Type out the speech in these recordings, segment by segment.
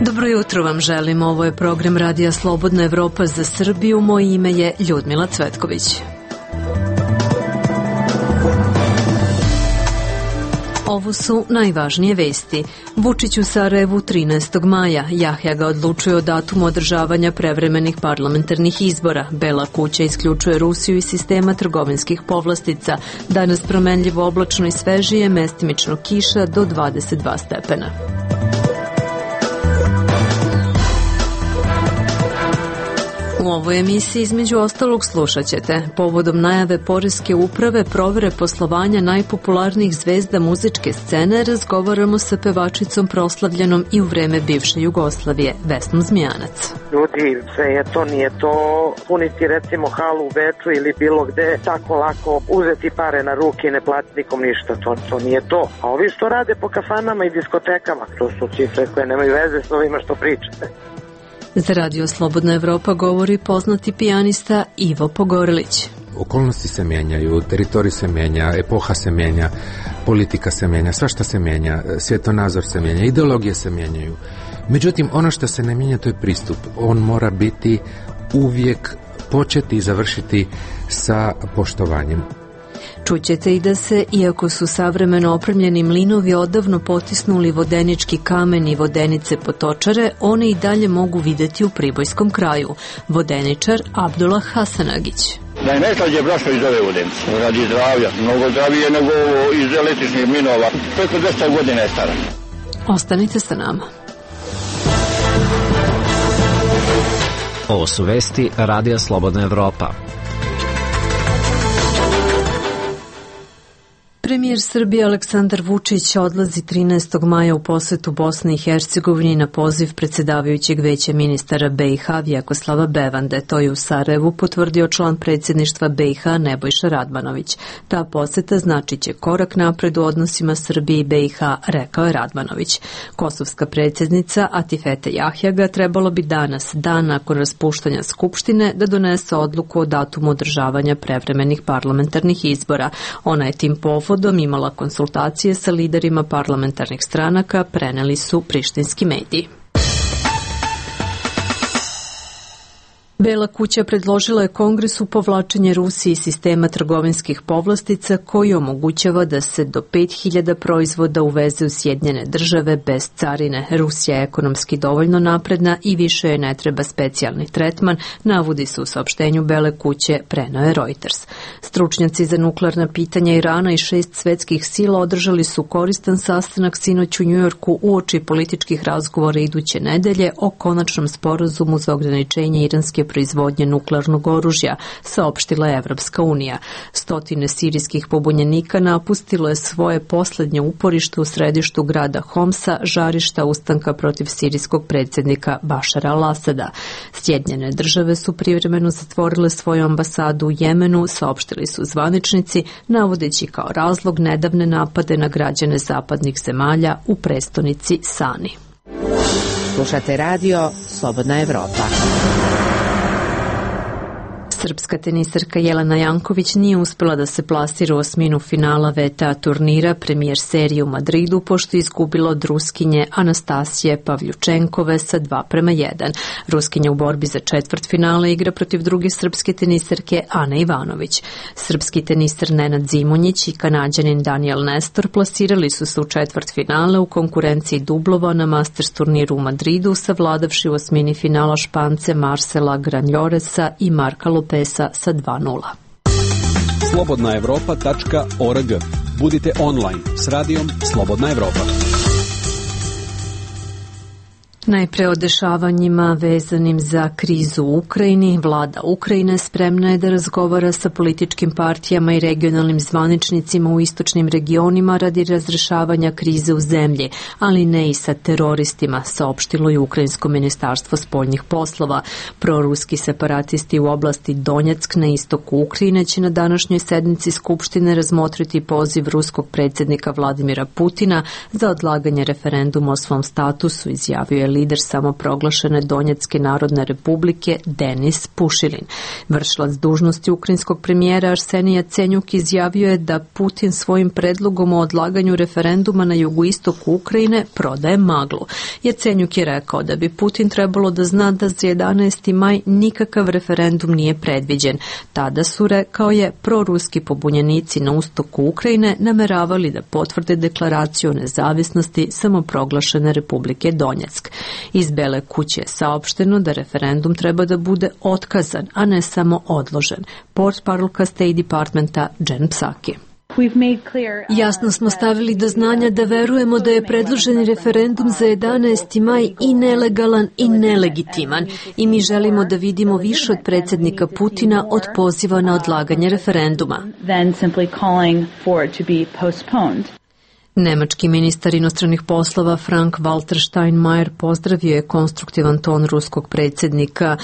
Dobro jutro vam želim, ovo je program Radija Slobodna Evropa za Srbiju, moje ime je Ljudmila Cvetković. Ovo su najvažnije vesti. Vučić u Sarajevu 13. maja. Jahja ga odlučuje o datumu održavanja prevremenih parlamentarnih izbora. Bela kuća isključuje Rusiju iz sistema trgovinskih povlastica. Danas promenljivo oblačno i svežije, mestimično kiša do 22 stepena. U ovoj emisiji između ostalog slušat ćete: povodom najave poreske uprave provere poslovanja najpopularnijih zvezda muzičke scene, razgovaramo sa pevačicom proslavljenom i u vreme bivše Jugoslavije, Vesnom Zmijanac. Ljudi, sve je to, nije to puniti recimo halu u Beču ili bilo gde, tako lako uzeti pare na ruke i ne platiti nikom ništa, to nije to. A ovi što rade po kafanama i diskotekama, to su cifre koje nemaju veze s ovima što pričate. Za Radio Slobodna Evropa govori poznati pijanista Ivo Pogorelić. Okolnosti se mijenjaju, teritorij se mijenja, epoha se mijenja, politika se mijenja, svašta se mijenja, svjetonazor se mijenja, ideologije se mijenjaju. Međutim, ono što se ne mijenja, to je pristup. On mora biti uvijek početi i završiti sa poštovanjem. Čućete i da se, iako su savremeno opremljeni mlinovi odavno potisnuli vodenički kamen i vodenice potočare, one i dalje mogu vidjeti u Pribojskom kraju. Vodeničar Abdullah Hasanagić. Da je najslađe brašno iz ove vodenice, radi zdravlja, mnogo zdravije nego iz električnih mlinova, preko 200 godina je stara. Ostanite sa nama. Ovo su vesti Radija Slobodna Evropa. Premijer Srbije Aleksandar Vučić odlazi 13. maja u posetu Bosni i Hercegovini na poziv predsjedavajućeg veća ministara BiH Vjekoslava Bevande. To je u Sarajevu potvrdio član predsjedništva BiH Nebojša Radmanović. Ta poseta značit će korak napred u odnosima Srbije i BiH, rekao je Radmanović. Kosovska predsjednica Atifete Jahjaga trebalo bi danas, dan nakon raspuštanja Skupštine, da donese odluku o datumu održavanja prevremenih parlamentarnih izbora. Ona je tim povodom imala konsultacije sa liderima parlamentarnih stranaka, preneli su prištinski mediji. Bela kuća predložila je Kongresu povlačenje Rusije iz sistema trgovinskih povlastica koji omogućava da se do 5000 proizvoda uveze u Sjedinjene države bez carine. Rusija je ekonomski dovoljno napredna i više joj ne treba specijalni tretman, navodi se u saopštenju Bele kuće, preneo je Reuters. Stručnjaci za nuklearna pitanja Irana i 6 svetskih sila održali su koristan sastanak sinoć u Njujorku uoči političkih razgovora iduće nedelje o konačnom sporazumu za ograničenje iranske proizvodnje nuklearnog oružja, saopštila je Evropska unija. Stotine sirijskih pobunjenika napustilo je svoje posljednje uporište u središtu grada Homsa, žarišta ustanka protiv sirijskog predsjednika Bašara al-Asada. Sjedinjene države su privremeno zatvorile svoju ambasadu u Jemenu, saopštili su zvaničnici, navodeći kao razlog nedavne napade na građane zapadnih zemalja u prestonici Sani. Slušate radio Slobodna Evropa. Srpska tenisarka Jelena Janković nije uspjela da se plasira u osminu finala VTA turnira premijer serije u Madridu, pošto je izgubila od Ruskinje Anastasije Pavljučenkove sa 2:1. Ruskinja u borbi za četvrtfinale igra protiv druge srpske tenisarke Ane Ivanović. Srpski tenisar Nenad Zimonjić i Kanađanin Daniel Nestor plasirali su se u četvrtfinale u konkurenciji dublova na Masters turniru u Madridu, savladavši u osmini finala Špance Marcela Granjoresa i Marka Lopeza sa 2:0. slobodnaevropa.org. Budite online s radijom Slobodna Evropa. Najpre o dešavanjima vezanim za krizu u Ukrajini. Vlada Ukrajine spremna je da razgovara sa političkim partijama i regionalnim zvaničnicima u istočnim regionima radi razrešavanja krize u zemlji, ali ne i sa teroristima, saopštilo je Ukrajinsko ministarstvo spoljnih poslova. Proruski separatisti u oblasti Donjeck na istoku Ukrajine će na današnjoj sednici Skupštine razmotriti poziv ruskog predsjednika Vladimira Putina za odlaganje referenduma o svom statusu, izjavio je lider samoproglašene Donjecke narodne republike Denis Pušilin. Vršilac dužnosti ukrajinskog premijera Arsenij Jacenjuk izjavio je da Putin svojim predlogom o odlaganju referenduma na jugoistoku Ukrajine prodaje maglu. Jacenjuk je rekao da bi Putin trebalo da zna da za 11. maj nikakav referendum nije predviđen. Tada su, rekao je, proruski pobunjenici na istoku Ukrajine nameravali da potvrde deklaraciju o nezavisnosti samoproglašene Republike Donjeck. Iz Bele kuće je saopšteno da referendum treba da bude otkazan, a ne samo odložen. Portparolka State Departmenta Jen Psaki. Jasno smo stavili do znanja da verujemo da je predloženi referendum za 11. maj i nelegalan i nelegitiman i mi želimo da vidimo više od predsjednika Putina od poziva na odlaganje referenduma. Nemački ministar inostranih poslova Frank-Walter Steinmeier pozdravio je konstruktivan ton ruskog predsjednika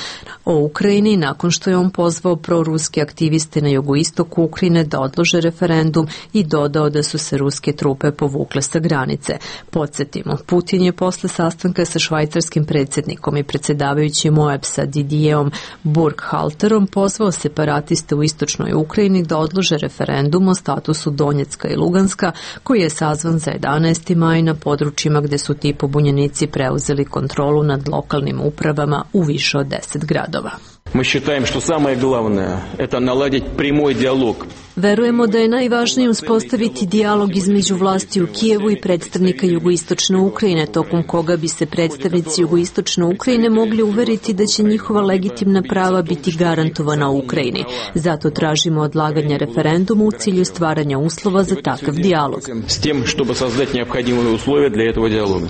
o Ukrajini nakon što je on pozvao proruske aktiviste na jugoistoku Ukrajine da odlože referendum i dodao da su se ruske trupe povukle sa granice. Podsjetimo, Putin je posle sastanka sa švajcarskim predsjednikom i predsjedavajućim OEBS-a Didierom Burkhalterom pozvao separatiste u istočnoj Ukrajini da odlože referendum o statusu Donjecka i Luganska koji je sazvan za 11. maj na područjima gde su ti pobunjenici preuzeli kontrolu nad lokalnim upravama u više od 10 gradova. Мы считаем, что самое главное – это наладить прямой диалог. Verujemo da je najvažnije uspostaviti dijalog između vlasti u Kijevu i predstavnika jugoistočne Ukrajine, tokom koga bi se predstavnici jugoistočne Ukrajine mogli uveriti da će njihova legitimna prava biti garantovana u Ukrajini. Zato tražimo odlaganje referenduma u cilju stvaranja uslova za takav dijalog. S tim, чтобы создать необходимые условия для этого диалога.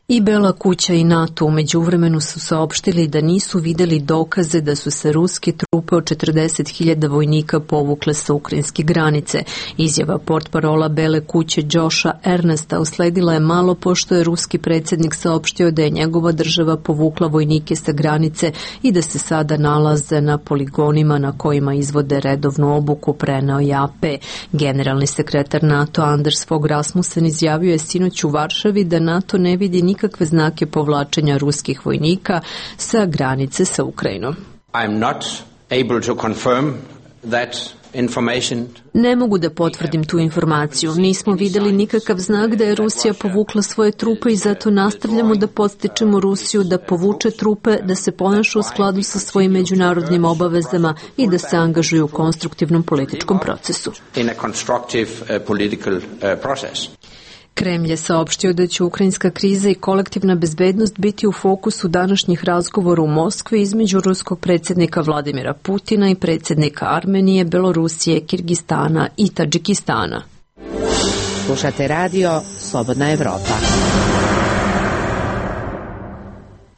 I Bela kuća i NATO u međuvremenu su saopštili da nisu videli dokaze da su se ruske trupe od 40.000 vojnika povukle sa ukrajinske granice. Izjava portparola Bele kuće Josha Ernesta usledila je malo pošto je ruski predsjednik saopštio da je njegova država povukla vojnike sa granice i da se sada nalaze na poligonima na kojima izvode redovnu obuku, preneo je AP. Generalni sekretar NATO Anders Fogh Rasmussen izjavio je sinoć u Varšavi da NATO ne vidi nikakve znake povlačenja ruskih vojnika sa granice sa Ukrajinom. Ne mogu da potvrdim tu informaciju. Nismo videli nikakav znak da je Rusija povukla svoje trupe i zato nastavljamo da podstičemo Rusiju da povuče trupe, da se ponaša u skladu sa svojim međunarodnim obavezama i da se angažuju u konstruktivnom političkom procesu. Kremlj je saopštio da će ukrajinska kriza i kolektivna bezbednost biti u fokusu današnjih razgovora u Moskvi između ruskog predsjednika Vladimira Putina i predsjednika Armenije, Belorusije, Kirgistana i Tadžikistana. Slušate radio Slobodna Evropa.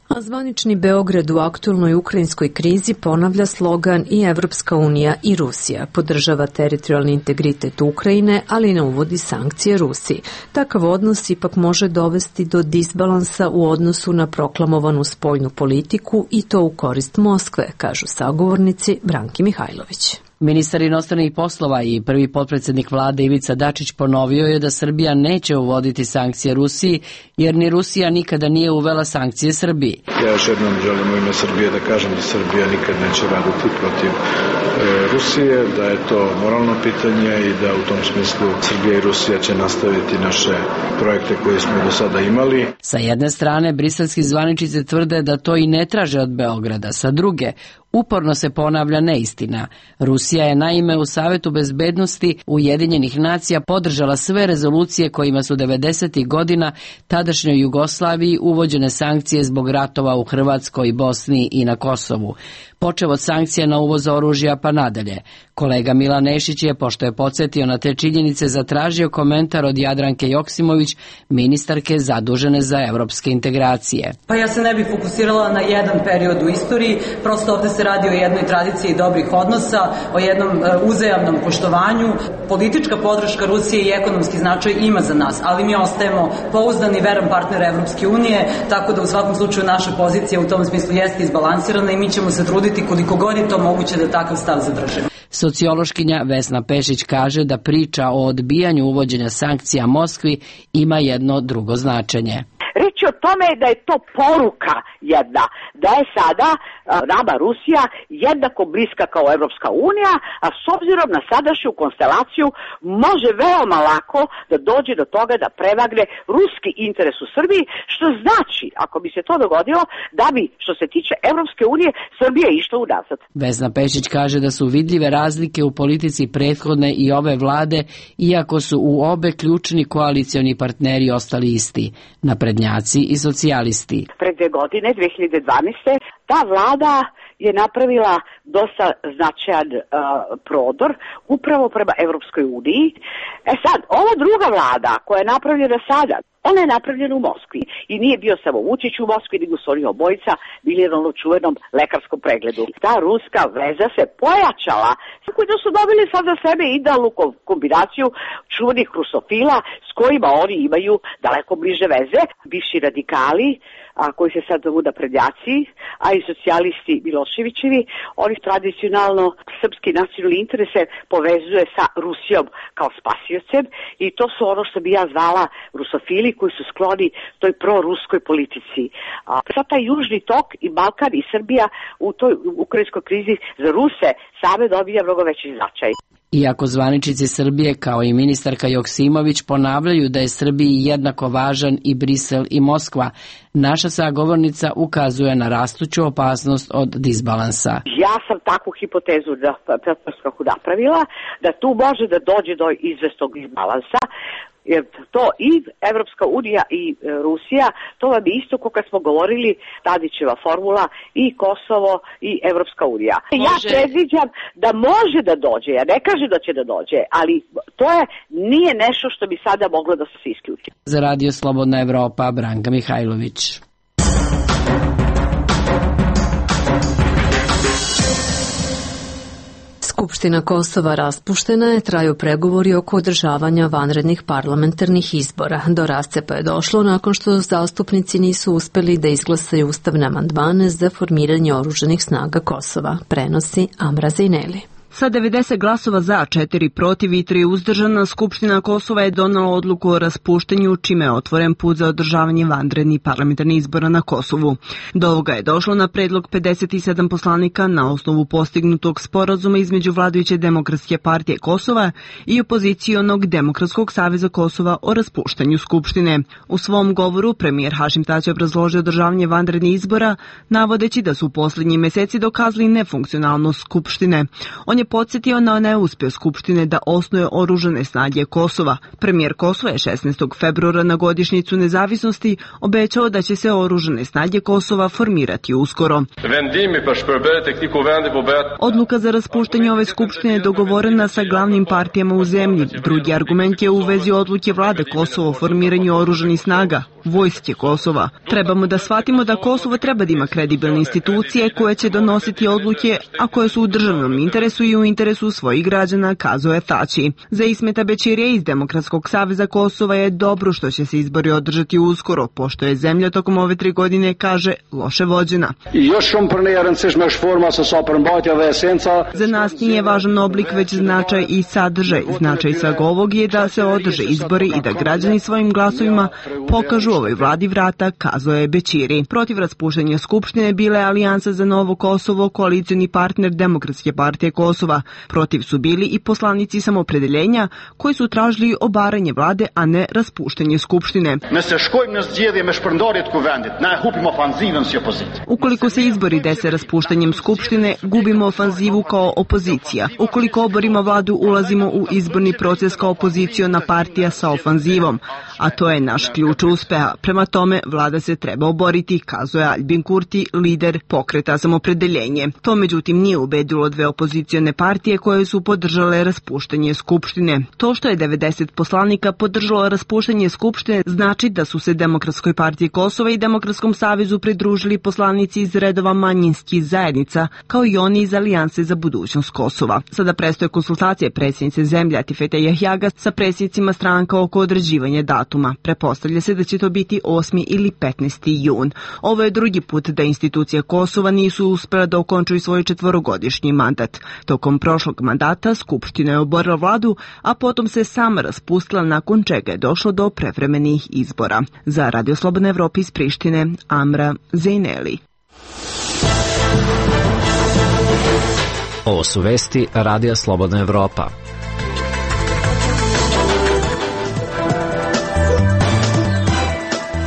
A zvanični Beograd u aktualnoj ukrajinskoj krizi ponavlja slogan i Evropska unija i Rusija. Podržava teritorijalni integritet Ukrajine, ali ne uvodi sankcije Rusiji. Takav odnos ipak može dovesti do disbalansa u odnosu na proklamovanu spoljnu politiku i to u korist Moskve, kažu sagovornici Branki Mihajlović. Ministar inostranih poslova i prvi potpredsjednik vlade Ivica Dačić ponovio je da Srbija neće uvoditi sankcije Rusiji, jer ni Rusija nikada nije uvela sankcije Srbiji. Ja još jednom želim u ime Srbije da kažem da Srbija nikad neće raditi protiv Rusije, da je to moralno pitanje i da u tom smislu Srbija i Rusija će nastaviti naše projekte koje smo do sada imali. Sa jedne strane, briselski zvaničnici tvrde da to i ne traže od Beograda, sa druge, uporno se ponavlja neistina. Rusija je naime u Savetu bezbednosti Ujedinjenih nacija podržala sve rezolucije kojima su 90. godina tadašnjoj Jugoslaviji uvođene sankcije zbog ratova u Hrvatskoj, Bosni i na Kosovu. Počev od sankcija na uvoz oružja pa nadalje. Kolega Milan Nešić je, pošto je podsjetio na te činjenice, zatražio komentar od Jadranke Joksimović, ministarke zadužene za evropske integracije. Pa ja se ne bih fokusirala na jedan period u istoriji, prosto ovde se radi o jednoj tradiciji dobrih odnosa, o jednom uzajamnom poštovanju. Politička podrška Rusije i ekonomski značaj ima za nas, ali mi ostajemo pouzdani, veran partner Evropske unije, tako da u svakom slučaju naša pozicija u tom smislu jeste izbalansirana i mi ćemo se truditi koliko god je to moguće da takav stav zadržimo. Sociološkinja Vesna Pešić kaže da priča o odbijanju uvođenja sankcija Moskvi ima jedno drugo značenje. Reč o tome da je to poruka jedna, da je sada nama Rusija jednako bliska kao Evropska unija, a s obzirom na sadašnju konstelaciju može veoma lako da dođe do toga da prevagne ruski interes u Srbiji, što znači, ako bi se to dogodilo, da bi, što se tiče Evropske unije, Srbija išla unazad. Vesna Pešić kaže da su vidljive razlike u politici prethodne i ove vlade, iako su u obe ključni koalicioni partneri ostali isti, naprednjaci i socijalisti. Pred 2 godine, 2012. ta vlada je napravila dosta značajan prodor upravo prema Evropskoj uniji. Sad, ova druga vlada koja je napravljena sada, ona je napravljena u Moskvi i nije bio samo Vučić u Moskvi, nego su oni obojica bili na čuvenom lekarskom pregledu. Ta ruska veza se pojačala, koji da su dobili sad za sebe idealnu kombinaciju čuvenih rusofila s kojima oni imaju daleko bliže veze, bivši radikali, koji se sad zovu naprednjaci, a i socijalisti Miloševićevi, oni tradicionalno srpski nacionalni interese povezuje sa Rusijom kao spasiocem i to su ono što bi ja zvala rusofili koji su skloni toj proruskoj politici. Sad taj južni tok i Balkan i Srbija u toj ukrajinskoj krizi za Ruse same dobija mnogo veći značaj. Iako zvaničnici Srbije kao i ministarka Joksimović ponavljaju da je Srbiji jednako važan i Brisel i Moskva, naša sagovornica ukazuje na rastuću opasnost od disbalansa. Ja sam takvu hipotezu napravila da tu može da dođe do izvesnog disbalansa, jer to i Evropska unija i Rusija, to vam je isto kao kad smo govorili Tadićeva formula i Kosovo i Evropska unija. Ja predviđam da može da dođe, ja ne kažem da će da dođe, ali to nije nešto što bi sada moglo da se isključi. Za Radio Slobodna Evropa, Branka Mihajlović. Skupština Kosova raspuštena je, traju pregovori oko održavanja vanrednih parlamentarnih izbora. Do rascepa je došlo nakon što zastupnici nisu uspeli da izglasaju ustavne amandmane za formiranje oružanih snaga Kosova, prenosi Amra Zejneli. Sa 90 glasova za, 4 protiv i 3 uzdržana, Skupština Kosova je donela odluku o raspuštanju, čime je otvoren put za održavanje vanrednih parlamentarnih izbora na Kosovu. Do ovoga je došlo na predlog 57 poslanika na osnovu postignutog sporazuma između vladajuće Demokratske partije Kosova i opozicionog Demokratskog saveza Kosova o raspuštanju Skupštine. U svom govoru premijer Hašim Tači obrazložio održavanje vanrednih izbora, navodeći da su u posljednjih meseci dokazali nefunkcionalnost Skupštine. On je podsjetio na neuspjeh Skupštine da osnuje oružane snage Kosova. Premijer Kosova je 16. februara na godišnjicu nezavisnosti obećao da će se oružane snage Kosova formirati uskoro. Odluka za raspuštanje ove Skupštine je dogovorena sa glavnim partijama u zemlji. Drugi argument je u vezi odluke vlade Kosova o formiranju oružanih snaga, vojske Kosova. Trebamo da shvatimo da Kosovo treba da ima kredibilne institucije koje će donositi odluke, a koje su u državnom interesu i u interesu svojih građana, kazao je Tači. Za Ismeta Bećirija iz Demokratskog saveza Kosova je dobro što će se izbori održati uskoro, pošto je zemlja tokom ove 3 godine, kaže, loše vođena. Za nas nije važan oblik, već značaj i sadržaj. Značaj svega ovog je da se održe izbori i da građani svojim glasovima pokažu ovoj vladi vrata, kazao je Bećiri. Protiv raspuštanja Skupštine bile Alijansa za novo Kosovo, koalicioni partner Demokratske partije Kosova. Protiv su bili i poslanici Samopredeljenja koji su tražili obaranje vlade, a ne raspuštanje Skupštine. Ukoliko se izbori dese raspuštanjem Skupštine, gubimo ofanzivu kao opozicija. Ukoliko oborimo vladu, ulazimo u izborni proces kao opoziciona partija sa ofanzivom, a to je naš ključ uspeha. Prema tome, vlada se treba oboriti, kazuje Albin Kurti, lider pokreta Samopredeljenje. To međutim nije ubedilo dve opozicione partije koje su podržale raspuštanje Skupštine. To što je 90 poslanika podržalo raspuštanje Skupštine znači da su se Demokratskoj partiji Kosova i Demokratskom savezu pridružili poslanici iz redova manjinskih zajednica, kao i oni iz Alijanse za budućnost Kosova. Sada prestoje konsultacije predsjednice zemlje Atifete Jahjaga sa predsjednicima stranka oko određivanja datuma. Pretpostavlja se da će to biti 8. ili 15. jun. Ovo je drugi put da institucije Kosova nisu uspjela da okončuju svoj 4-godišnji mandat. Tokom prošlog mandata Skupština je oborila vladu, a potom se sama raspustila, nakon čega je došlo do prevremenih izbora. Za Radio Slobodna Evropa iz Prištine, Amra Zejneli. Ovo su vesti Radija Slobodna Evropa.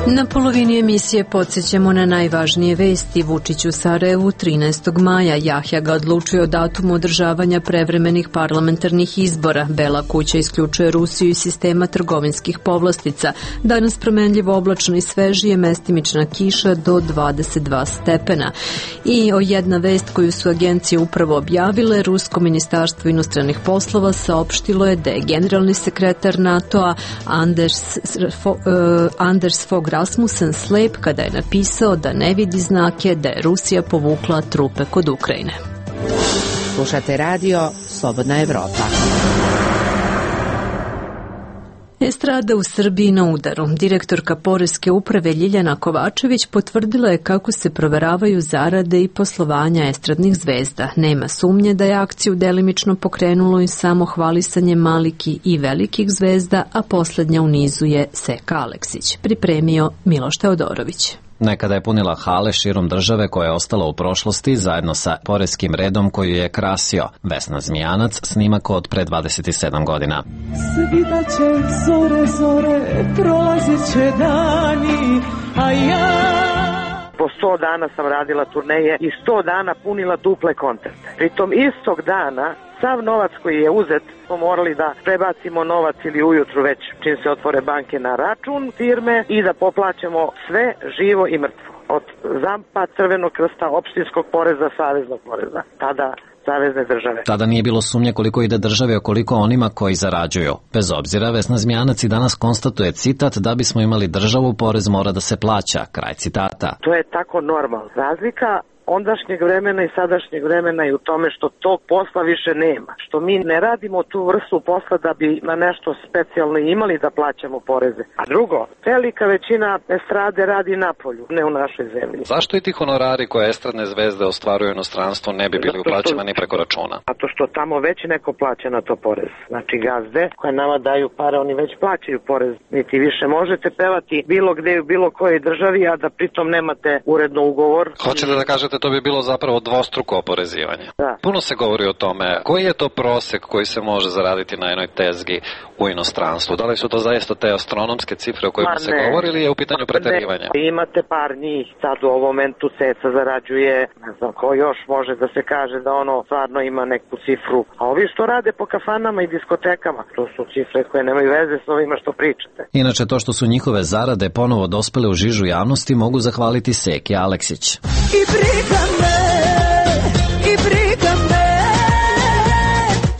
Na polovini emisije podsjećamo na najvažnije vesti. Vučić u Sarajevu 13. maja. Jahja ga odlučuje o datumu održavanja prevremenih parlamentarnih izbora. Bela kuća isključuje Rusiju iz sistema trgovinskih povlastica. Danas promenljivo oblačno i svežije, mestimična kiša do 22 stepena. I jedna vest koju su agencije upravo objavile, Rusko ministarstvo inostranih poslova saopštilo je da je generalni sekretar NATO-a Anders Fogh Rasmussen slep kada je napisao da ne vidi znake da je Rusija povukla trupe kod Ukrajine. Slušate radio Slobodna Evropa. Estrada u Srbiji na udaru. Direktorka Poreske uprave Ljiljana Kovačević potvrdila je kako se proveravaju zarade i poslovanja estradnih zvezda. Nema sumnje da je akciju delimično pokrenulo i samo hvalisanje malih i velikih zvezda, a poslednja u nizu je Seka Aleksić. Pripremio Miloš Teodorović. Nekada je punila hale širom države koja je ostala u prošlosti zajedno sa poreskim redom koju je krasio. Vesna Zmijanac, snimak od pre 27 godina. Svidaće zore, zore, prolazit će dani, a ja... Po 100 dana sam radila turneje i 100 dana punila duple koncerte. Pritom istog dana sav novac koji je uzet smo morali da prebacimo novac ili ujutru već čim se otvore banke na račun firme i da poplaćamo sve živo i mrtvo. Od ZAMP-a, Crvenog krsta, opštinskog poreza, saveznog poreza. Tada savezne države. Tada nije bilo sumnje koliko ide države, a koliko onima koji zarađuju. Bez obzira, Vesna Zmijanac i danas konstatuje citat: da bismo imali državu, porez mora da se plaća. Kraj citata. To je tako normalno. Razlika ondašnjeg vremena i sadašnjeg vremena je u tome što tog posla više nema. Što mi ne radimo tu vrstu posla da bi na nešto specijalno imali da plaćamo poreze. A drugo, velika većina estrade radi napolju, ne u našoj zemlji. Zašto i ti honorari koje estradne zvezde ostvaruju u inostranstvu ne bi bili uplaćivani preko računa? Zato što tamo već neko plaća na to porez. Znači gazde koje nama daju pare, oni već plaćaju porez. Niti više možete pevati bilo gde u bilo kojoj državi, a da pritom nemate uredno ugovor. Hoćete da kažete to bi bilo zapravo dvostruko oporezivanje. Da. Puno se govori o tome. Koji je to prosek koji se može zaraditi na jednoj tezgi u inostranstvu? Da li su to zaista te astronomske cifre o kojima se govori ili je u pitanju preterivanja? Imate par njih. Sad u ovom momentu Ceca zarađuje, ne znam ko još može da se kaže da ono stvarno ima neku cifru. A ovi što rade po kafanama i diskotekama, to su cifre koje nemaju veze s ovima što pričate. Inače, to što su njihove zarade ponovo dospele u žižu javnosti mogu zahvaliti Seki Aleksić. I briga me, i briga me.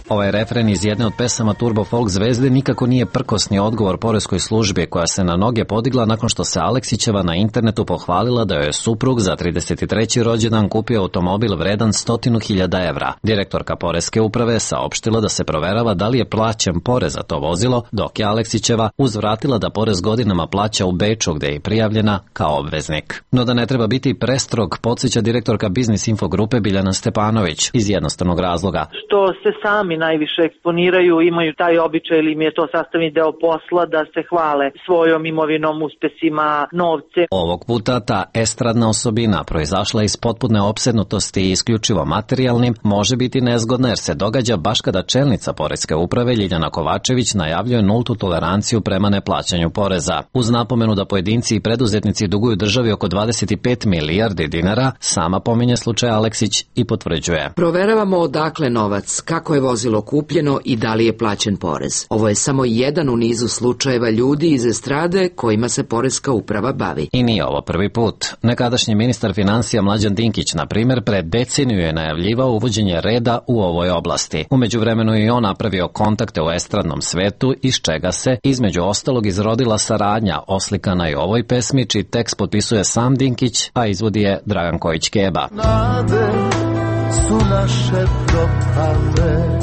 Ovaj refren iz jedne od pesama Turbo Folk zvezde nikako nije prkosni odgovor poreskoj službi koja se na noge podigla nakon što se Aleksićeva na internetu pohvalila da joj je suprug za 33. rođendan kupio automobil vredan 100.000 evra. Direktorka Poreske uprave saopštila da se proverava da li je plaćen porez za to vozilo, dok je Aleksićeva uzvratila da porez godinama plaća u Beču gde je prijavljena kao obveznik. No da ne treba biti prestrog, podsjeća direktorka Biznis Info grupe Biljana Stepanović iz jednostavnog razloga. Što se sami najviše eksponiraju, imaju taj običaj ili im je to sastavni deo posla da se hvale svojom imovinom, uspesima, novce. Ovog puta ta estradna osobina proizašla iz potpune opsednutosti i isključivo materijalnim može biti nezgodna jer se događa baš kada čelnica Poreske uprave Ljiljana Kovačević najavljuje nultu toleranciju prema neplaćanju poreza. Uz napomenu da pojedinci i preduzetnici duguju državi oko 25 milijardi dinara, sama pominje slučaj Aleksić i potvrđuje. Proveravamo odakle novac, kako je vozilo kupljeno i da li je plaćen porez. Ovo je samo jedan u nizu slučajeva ljudi iz estrade kojima se Poreska uprava bavi. I nije ovo prvi put. Nekadašnji ministar financija Mlađan Dinkić, na primjer, pred deceniju je najavljivao uvođenje reda u ovoj oblasti. U međuvremenu je on napravio kontakte u estradnom svetu, iz čega se, između ostalog, izrodila saradnja oslikana i u ovoj pesmi, čiji tekst potpisuje sam Dinkić, a izvodi je Dragan Kojić-Keba. Nade su naše propale.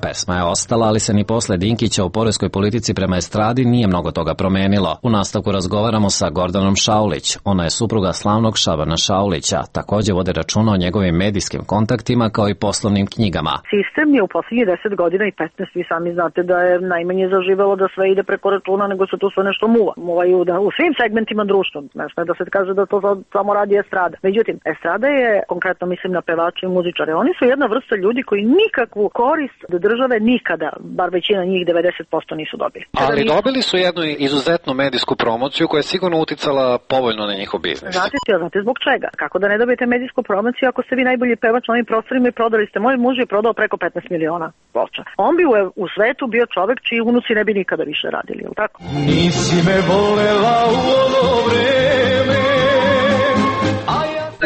Pesma je ostala, ali se ni posle Dinkića u poreskoj politici prema estradi nije mnogo toga promenilo. U nastavku razgovaramo sa Gordanom Šaulić. Ona je supruga slavnog Šabana Šaulića. Takođe vode računa o njegovim medijskim kontaktima kao i poslovnim knjigama. Sistem je u poslednjih 10 godina i 15, vi sami znate da je najmanje zaživelo da sve ide preko računa, nego se tu sve nešto muva. Muvaju u svim segmentima društva. Ne da se kaže da to samo radi estrada. Međutim, estrada je, konkretno mislim na pevače i muzičare, oni su jedna vrsta ljudi koji nikakvu korist od države nikada, bar većina njih 90% nisu dobili. Ali dobili su jednu izuzetnu medijsku promociju koja je sigurno uticala povoljno na njihov biznis. Znate zbog čega? Kako da ne dobijete medijsku promociju ako ste vi najbolji pevač na ovim prostorima i prodali ste? Moj muž je prodao preko 15 miliona ploča. On bi u svetu bio čovek čiji unuci ne bi nikada više radili, je li tako? Nisi me volela u ono vreme.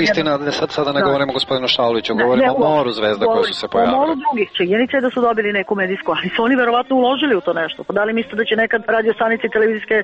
Istina, sada ne govorimo o gospodinu Šauliću, govorimo o moru zvezda koje su se pojavile. O moru drugih. Činjenica je da su dobili neku medijsku, ali su oni verovatno uložili u to nešto. Pa da li mislite da će nekad radio stanice i televizijske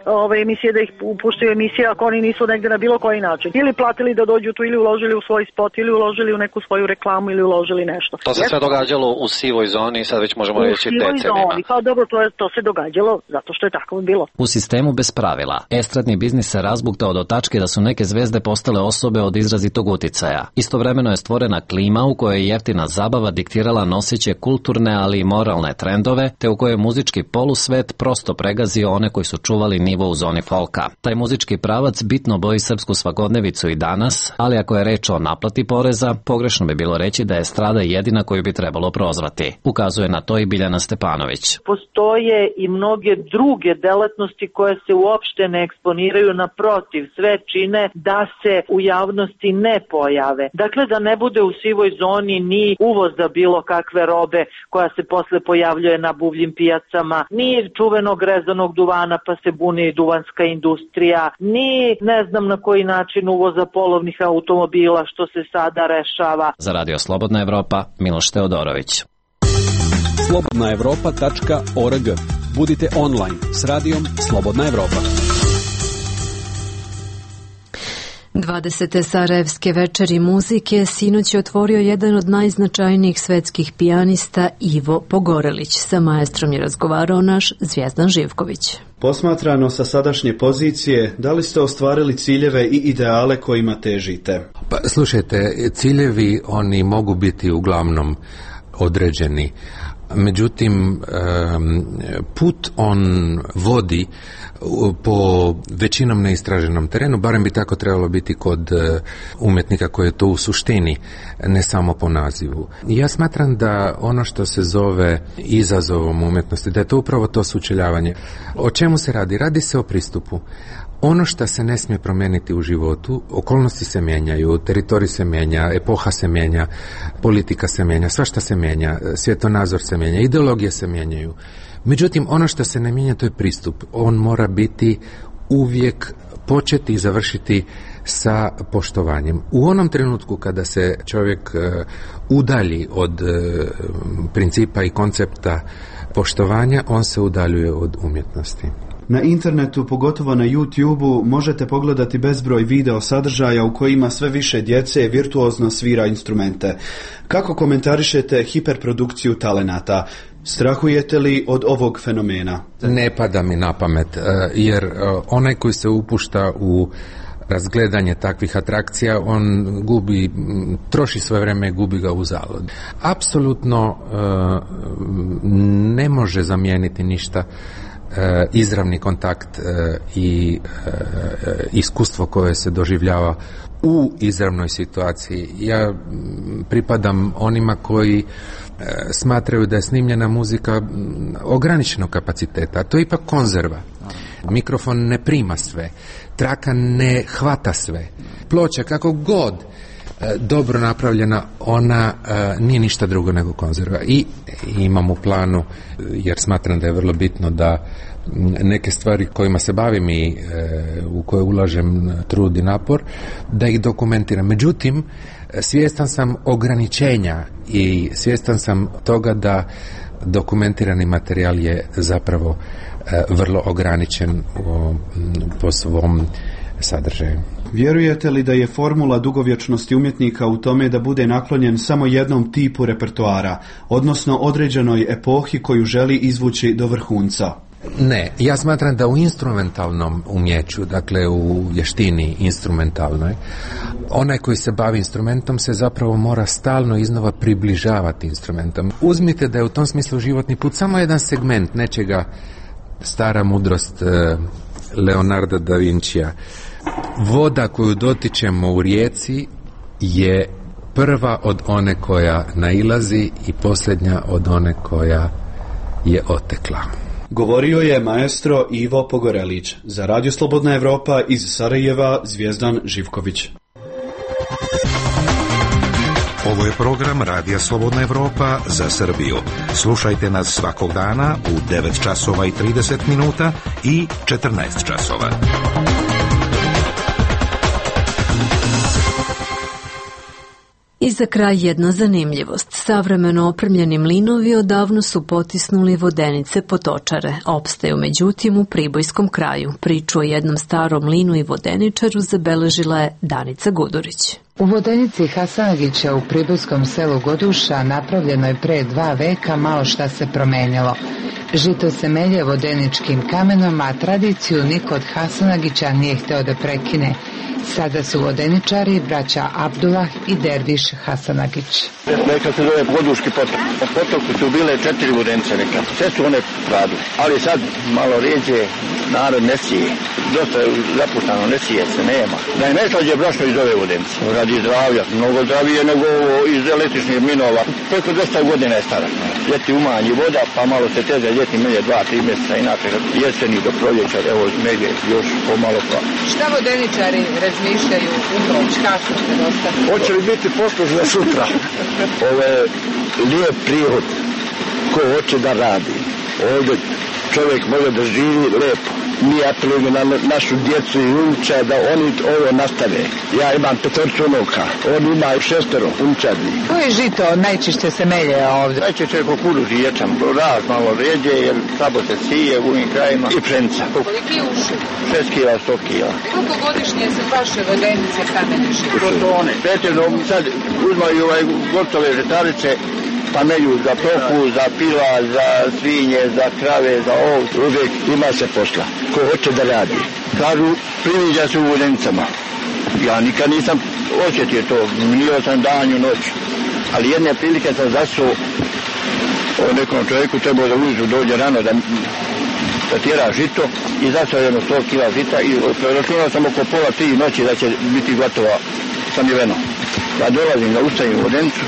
emisije da ih puštaju emisije ako oni nisu negde na bilo koji način? Ili platili da dođu tu, ili uložili u svoj spot, ili uložili u neku svoju reklamu, ili uložili nešto. To se sve događalo u sivoj zoni i sad već možemo reći decenijima. Pa dobro, to se događalo zato što je tako bilo. U sistemu bez pravila, estradni biznis se razbuktao do tačke da su neke zvezde postale osobe od izrazitog uticaja. Istovremeno je stvorena klima u kojoj je jeftina zabava diktirala noseće kulturne, ali i moralne trendove, te u kojoj je muzički polusvet prosto pregazio one koji su čuvali nivo u zoni folka. Taj muzički pravac bitno boji srpsku svakodnevicu i danas, ali ako je reč o naplati poreza, pogrešno bi bilo reći da je estrada jedina koju bi trebalo prozvati. Ukazuje na to i Biljana Stepanović. Postoje i mnoge druge delatnosti koje se uopšte ne eksponiraju, naprotiv, sve čine da se u javnosti ne pojave. Dakle, da ne bude u sivoj zoni ni uvoza bilo kakve robe koja se posle pojavljuje na buvljim pijacama, ni čuvenog rezanog duvana pa se buni duvanska industrija, ni ne znam na koji način uvoza polovnih automobila što se sada rešava. Za Radio Slobodna Evropa, Miloš Teodorović. slobodnaevropa.org. Budite online s radijom Slobodna Evropa. 20. Sarajevske večeri muzike sinoć je otvorio jedan od najznačajnijih svetskih pijanista Ivo Pogorelić. Sa maestrom je razgovarao naš Zvjezdan Živković. Posmatrano sa sadašnje pozicije, da li ste ostvarili ciljeve i ideale kojima težite? Pa, slušajte, ciljevi oni mogu biti uglavnom određeni. Međutim, put on vodi po većinom neistraženom terenu, barem bi tako trebalo biti kod umjetnika koji je to u suštini, ne samo po nazivu. Ja smatram da ono što se zove izazovom umjetnosti, da je to upravo to sučeljavanje. O čemu se radi? Radi se o pristupu. Ono što se ne smije promijeniti u životu, okolnosti se mijenjaju, teritorij se mijenja, epoha se mijenja, politika se mijenja, svašta se mijenja, svjetonazor se mijenja, ideologije se mijenjaju. Međutim, ono što se ne mijenja, to je pristup. On mora biti uvijek početi i završiti sa poštovanjem. U onom trenutku kada se čovjek udalji od principa i koncepta poštovanja, on se udaljuje od umjetnosti. Na internetu, pogotovo na YouTube-u, možete pogledati bezbroj video sadržaja u kojima sve više djece virtuozno svira instrumente. Kako komentarišete hiperprodukciju talenata? Strahujete li od ovog fenomena? Ne pada mi na pamet, jer onaj koji se upušta u razgledanje takvih atrakcija, on troši svoje vreme i gubi ga u zalud. Apsolutno ne može zamijeniti ništa izravni kontakt i iskustvo koje se doživljava u izravnoj situaciji. Ja pripadam onima koji smatraju da je snimljena muzika ograničenog kapaciteta, a to je ipak konzerva. Mikrofon ne prima sve, traka ne hvata sve. Ploča kako god dobro napravljena, ona nije ništa drugo nego konzerva. I imam u planu, jer smatram da je vrlo bitno da neke stvari kojima se bavim i u koje ulažem trud i napor, da ih dokumentiram. Međutim, svjestan sam ograničenja i svjestan sam toga da dokumentirani materijal je zapravo vrlo ograničen po svom sadržaju. Vjerujete li da je formula dugovječnosti umjetnika u tome da bude naklonjen samo jednom tipu repertoara, odnosno određenoj epohi koju želi izvući do vrhunca? Ne, ja smatram da u instrumentalnom umjeću, dakle u vještini instrumentalnoj, onaj koji se bavi instrumentom se zapravo mora stalno iznova približavati instrumentom. Uzmite da je u tom smislu životni put samo jedan segment nečega, stara mudrost Leonarda da Vincija. Voda koju dotičemo u rijeci je prva od one koja nailazi i posljednja od one koja je otekla. Govorio je maestro Ivo Pogorelić. Za Radio Slobodna Evropa iz Sarajeva, Zvijezdan Živković. Ovo je program Radija Slobodna Evropa za Srbiju. Slušajte nas svakog dana u 9 časova i 30 minuta i 14 časova. I za kraj jedna zanimljivost. Savremeno opremljeni mlinovi odavno su potisnuli vodenice potočare. Opstaju međutim u pribojskom kraju. Priču o jednom starom mlinu i vodeničaru zabeležila je Danica Gudurić. U vodenici Hasanagića u pribojskom selu Goduša napravljeno je pre 2 veka malo šta se promenilo. Žito se melje vodeničkim kamenom, a tradiciju niko od Hasanagića nije hteo da prekine. Sada su vodeničari braća Abdullah i Derviš Hasanagić. Neka se zove Goduški potok. Po potoku su bile 4 vodenice neka. Sve su one radile. Ali sad malo rijeđe narod ne sije. Dosta je zapuštano, ne sije se, nema. Da je najslađe brašno iz ove vodenice. Radi zdravlja. Mnogo zdravije nego iz električnih mlinova. Preko 200 godina je stara. Ljeti umanji voda, pa malo se teže ljeti melje 2-3 mjeseca. Inače jeseni do proljeća, evo melje još pomalo pa. Šta vodeničari razmišljaju u noć, kako se dosta? Hoće li biti posluž za sutra? Ovo je lijep prihod ko hoće da radi. Ovdje čovjek može da živi lepo. Mi apelujemo na našu djecu i unuča da oni ovo nastave. Ja imam 5 unuka, on ima 6 unučadi. Koje žito najčešće se melje ovdje? Najčešće je kukuruz i ječam, raz malo ređe, jer slabo se sije u ovim krajima i pšenica. Koliki je uši? 6 kila, 100 kila. Koliko godišnje se vaše vodenice kamene žive? Protone. Pretežno sad uzmaju gotove žetarice, pa melju za toku, za pila, za svinje, za krave, za ovce. Uvijek ima se posla. Ko hoće da radi. Kažu, priviđa se u vodenicama. Ja nikad nisam osjetio to. Minio sam danju, noću. Ali jedne prilike sam zasuo o nekom čovjeku, trebao da ujutru dođe rano da tjera žito i zasuo jedno 100 kila žita i računao sam oko pola 3 noći da će biti gotova samljiveno. Ja dolazim da ustavim vodenicu,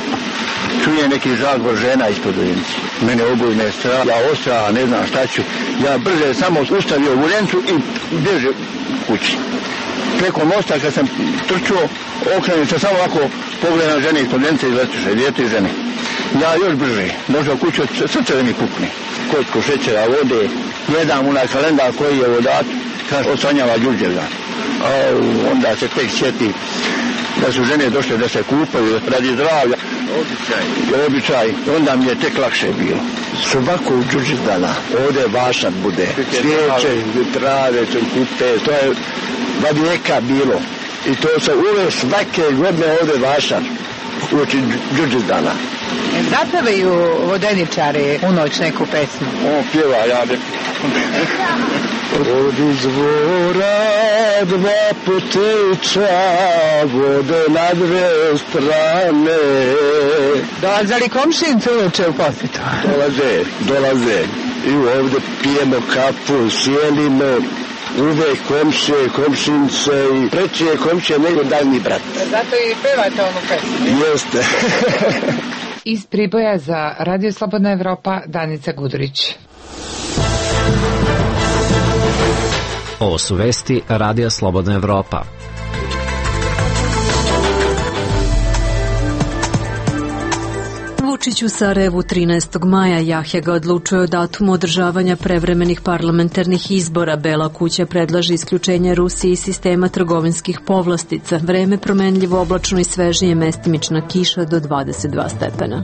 čuje neki žalbor žena ispod vodenice. Mene obujme strah, ja ostrah, ne znam šta ću. Ja brže samo ustavio vodenicu i bježe kući. Preko mosta kad sam trčuo, okrenuo se samo ovako pogledam žene ispod vodenice i letuše, djete i žene. Ja još brže, došao kuću, srce da mi pukne. Kocku šećera, vode, jedan onaj kalendar koji je vodat, kaže, osanjava Đurđevdan. Onda se tek sjeti da su žene došle da se kupaju radi zdravlja. Običaj. Onda mi je tek lakše bilo. Svakog Đurđevdana ovdje vašan bude. Svijeće, trave, kupe, to je vijeka bilo. I to se uvijek svake godine ovdje vašan uoči Đurđevdana. Zapevaju vodeničari u noć neku pesmu? On pjeva, ja ne. Od izvora 2 potiča, vode na 2 strane. Dolaze li komšinci uče u posjetu? Dolaze. I ovdje pijemo kapu, sjelimo, uvek komšince i preći je komšije nego daljni brat. Zato i pevate onu pesmu? Jeste. Iz Priboja za Radio Slobodna Evropa, Danica Gudurić. Ovo su vesti Radija Slobodna Evropa. Vučić u Sarajevu 13. maja. Jahja ga odlučuje o datumu održavanja prevremenih parlamentarnih izbora. Bela kuća predlaže isključenje Rusije iz sistema trgovinskih povlastica. Vreme promenljivo, oblačno i svežije, mestimična kiša do 22 stepena.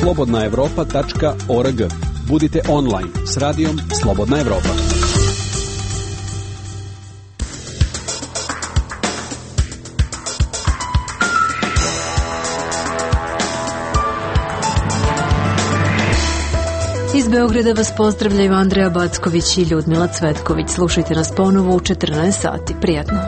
slobodnaevropa.org. Budite online s radijom Slobodna Evropa. Beograda vas pozdravljaju Andreja Backović i Ljudmila Cvetković. Slušajte nas ponovo u 14 sati. Prijatno.